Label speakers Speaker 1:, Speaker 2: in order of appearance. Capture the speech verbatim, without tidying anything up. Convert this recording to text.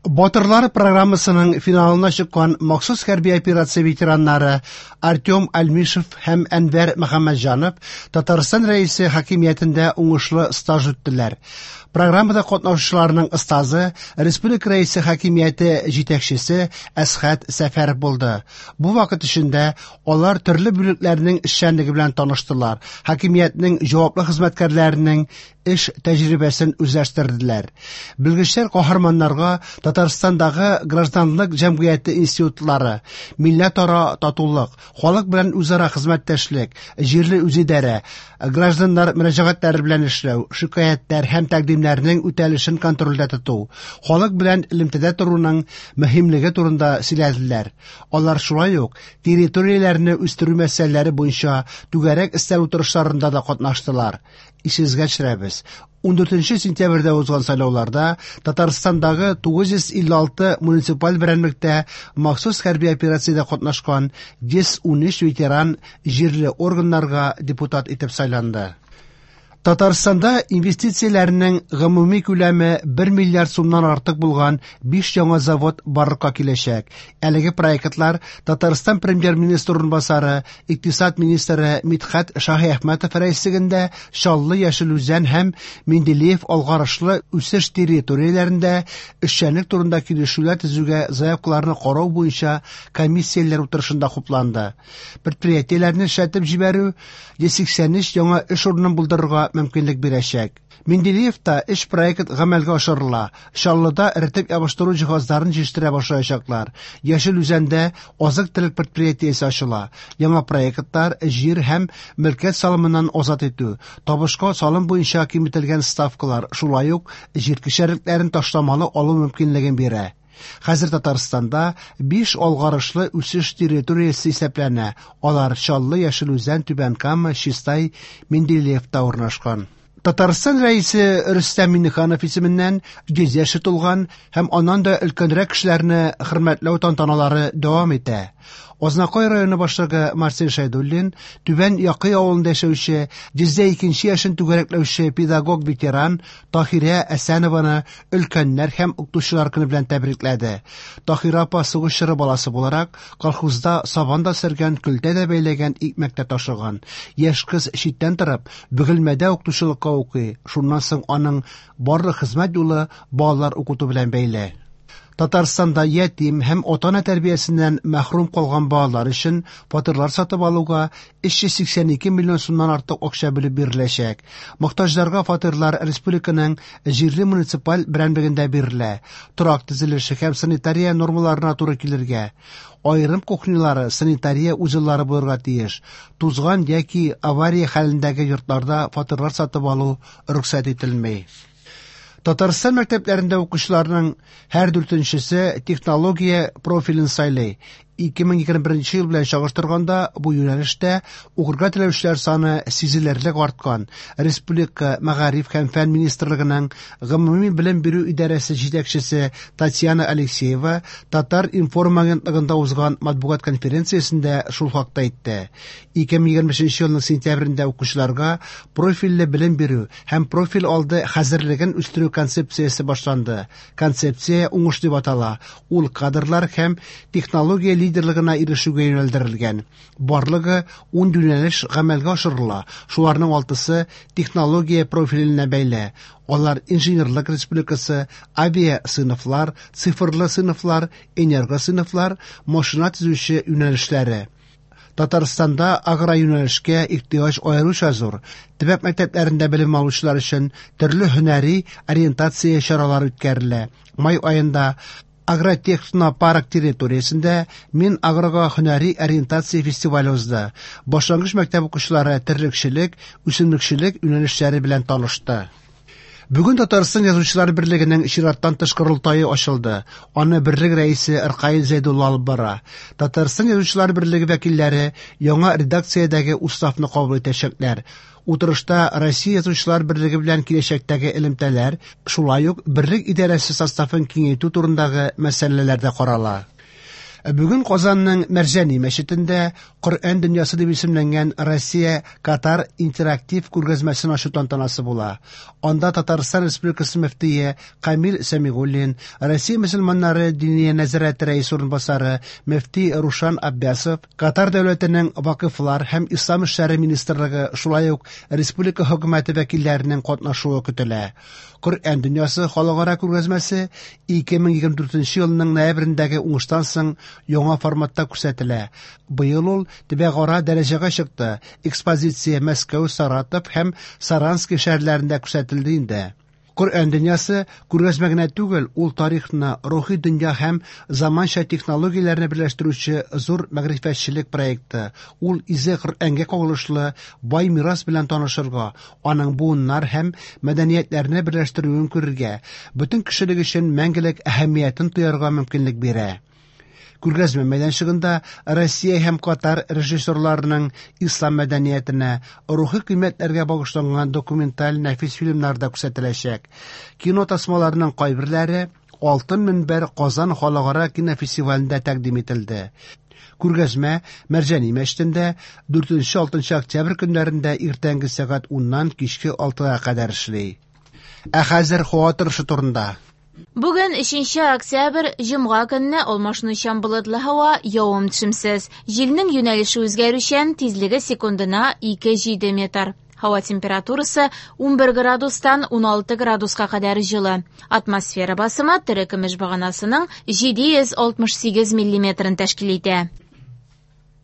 Speaker 1: Батырлар программасының финалына чыккан махсус хәрби операция ветераннары Артем Альмишев һәм Әнвәр Мөхәммәтҗанов Татарстан Рәисе хакимиятендә уңышлы стаж үттеләр. Программада катнашучыларның остазы Республика Рәисе хакимияте җитәкчесе Әсхәт Сәфәров булды. Бу вакыт эчендә алар төрле бүлекләрнең эшчәнлеге белән таныштылар, хакимиятнең җаваплы хезмәткәрләренең эш тәҗрибәсен үзләштерделәр. Белгечләр каһарманнарга Татарстандагы гражданлык җәмгыяте институтлары, милләтара татулык, халык белән үзара хезмәттәшлек, җирле үзидарә, гражданнар мөрәҗәгатьләре белән эшләү, шикаятьләр һәм тәкъдимнәрнең үтәлешен контрольдә тоту, халык белән элемтәдә торуның мөһимлеге турында сөйләделәр. Алар шулай ук территорияләрне үстерү мәсьәләләре буенча түгәрәк өстәл утырышларында да катнаштылар. Исегезгә төшерәбез. Ундүртенче сентябрьдә узган сайлауларда Татарстандагы тугыз йөз илле алты муниципаль берәмлектә махсус хәрби операциядә катнашкан йөз унөч ветеран җирле органнарга депутат итеп сайланды. Татарстанда инвестицияләрнең гомуми күләме бер миллиард сумнан артык булган биш яңа завод барлыкка киләчәк. Әлеге проектлар Татарстан премьер-министры урынбасары, икътисад министры Мидхәт Шаһиәхмәтов рәислегендә Чаллы, Яшел Үзән һәм Менделеев алгарышлы үсеш территорияләрендә эшчәнлек турында килешүләр төзүгә заявкаларны карау буенча комиссияләр утырышында хупланды. Предприятиеләрне эшләтеп җибәрү йөз сиксән өч яңа эш урынын булдырырга мөмкинлек бирәчәк. Менделеевта эш проект гамәлгә ашырыла. Чаллыда эретеп ябыштыру җиһазларын җитештерә башлаячаклар. Яшел Үзәндә азык-төлек предприятиесе ачыла. Яңа проектлар җир һәм мөлкәт салымыннан азат итү, табышка салым буенча киметелгән ставкалар, шулай ук җир кишәрлекләрен ташламалы алу мөмкинлеген бирә. Хәзер Татарстанда биш алгарышлы үсеш территориясе исәпләнә. Алар Чаллы, Яшел Үзән, Түбән Кама, Чистай, Менделеевта урнашкан. Татарстан Рәисе Рөстәм Миңнеханов исеменнән йөз яше тулган һәм аннан да өлкәнрәк кешеләрне хөрмәтләү тантаналары дәвам итә. Азнакай районы башлыгы Марсель Шәйдуллин Түбән Якый авылында яшәүче йөз дә икенче яшен түгәрәкләүче педагог-ветеран Таһирә Әсәнованы өлкәннәр һәм укытучылар көне белән тәбрикләде. Таһирә апа сугыш чоры баласы буларак колхозда сабан да сөргән, көлтә дә бәйләгән, икмәк тә ташыган. Яшь кыз читтән торып Бөгелмәдә укытучылыкка укый. Шуннан соң аның барлык хезмәт юлы балалар укыту белән бәйле. Татарстанда ятим һәм ата-ана тәрбиясеннән мәхрүм калган балалар өчен фатирлар сатып алуга өч йөз сиксән ике миллион сумнан артык акча бүлеп биреләчәк. Мохтаҗларга фатирлар республиканың җирле муниципаль берәмлегендә бирелә. Торак төзелеше һәм санитария нормаларына туры килергә, аерым кухнялары, санитария узеллары булырга тиеш. Тузган яки авария хәлендәге йортларда фатирлар сатып алу рөхсәт ителми. Татарстан мәктәпләрендә укучыларның һәр дүртенчесе технология профилен сайлый. Ике мең егерме беренче ел белән чагыштырганда бу юнәлештә укырга теләүчеләр саны сизелерлек арткан. Республика Мәгариф һәм фән министрлыгының гомуми белем бирү идарәсе җитәкчесе Татьяна Алексеева Татар информ агентлыгында узган матбугат конференциясендә шул хакта әйтте. Ике мең егерме өченче елның сентябрендә укучыларга профильле белем бирү һәм профиль алды хәзерлеген үстерү концепциясе башланды. Концепция уңыш дип атала. Ул кадрлар һәм технология лидерлыгына ирешүгә юнәлдерелгән. Барлыгы ун юнәлеш гамәлгә ашырыла. Шуларның алтысы технология профиленә бәйле. Алар инженерлык республикасы, авиа сыйныфлар, цифрлы сыйныфлар, энерго сыйныфлар, машина төзүче юнәлешләре. Татарстанда агро юнәлешкә ихтыяҗ аеруча зур. Төбәк мәктәпләрендә белем алучылар өчен төрле һөнәри ориентация чаралары үткәрелә. Май аенда Агротехнопарк территориясендә Мин агрога һөнәри ориентация фестивале узды. Башлангыч мәктәп укучылары терлекчелек, үсемлекчелек юнәлешләре белән танышты. Бүген Татарстан Язучылар берлегенең чираттан тыш корылтае ачылды. Аны берлек рәисе Ркаил Зәйдулла алып бара. Татарстан Язучылар берлеге вәкилләре яңа редакциядәге уставны кабул итәчәкләр. Утырышта Россия Язучылар берлеге белән киләчәктәге элемтәләр, шулай ук берлек идарәсе составын киңәйтү турындагы мәсьәләләр дә карала. Бүген Казанның Мәрҗани мәчетендә Коръән дөньясы дип исемләнгән Россия-Катар интерактив күргәзмәсен ачу тантанасы була. Анда Татарстан Республикасы мөфтие Камил Сәмигуллин, Россия мөселманнары Диния нәзарәте рәисе урынбасары мөфти Рушан Аббясов, Катар дәүләтенең Вакыфлар һәм ислам эшләре министрлыгы, шулай ук республика хөкүмәте вәкилләренең катнашуы көтелә. Коръән дөньясы халыкара күргәзмәсе ике мең егерме дүртенче елның ноябрендәге уңыштан соң яңа форматта күрсәтелә. Быел ул төбәкара дәрәҗәгә чыкты. Экспозиция Мәскәү, Саратов һәм Саранский шәһәрләрендә күрсәтелде инде. Коръән дөньясы күргәзмә генә түгел, ул тарихны, рухи дөнья һәм заманча технологияләрне берләштерүче зур мәгърифәтчелек проекты. Ул изге Коръәнгә кагылышлы бай мирас белән танышырга, аның буыннар һәм мәдәниятләрне берләштерүен күрергә, бөтен кешелек өчен мәңгелек әһәмиятен тоярга мөмкинлек бирә. Күргәзмә мәйданчыгында Россия һәм Катар режиссерларының ислам мәдәниятенә, рухи кыйммәтләргә багышланган документаль нәфис фильмнар да күрсәтеләчәк. Кино тасмаларының кайберләре Алтын мөнбәр Казан халыкара кинофестивалендә тәкъдим ителде. Күргәзмә Мәрҗани мәчетендә дүртенче-алтынчы октябрь көннәрендә иртәнге сәгать уннан кичке алтыга кадәр эшли. Ә хәзер һава торышы турында.
Speaker 2: Бүген өченче октябрь, җомга көнне алмашынучан болытлы һава, явым-төшемсез. Җилнең юнәлеше үзгәрүчән, тизлеге секундына ике җиде метр. Һава температурасы унбер градустан уналты градуска кадәр җылы. Атмосфера басымы терекөмеш баганасының җиде йөз алтмыш сигез миллиметрын тәшкил итә.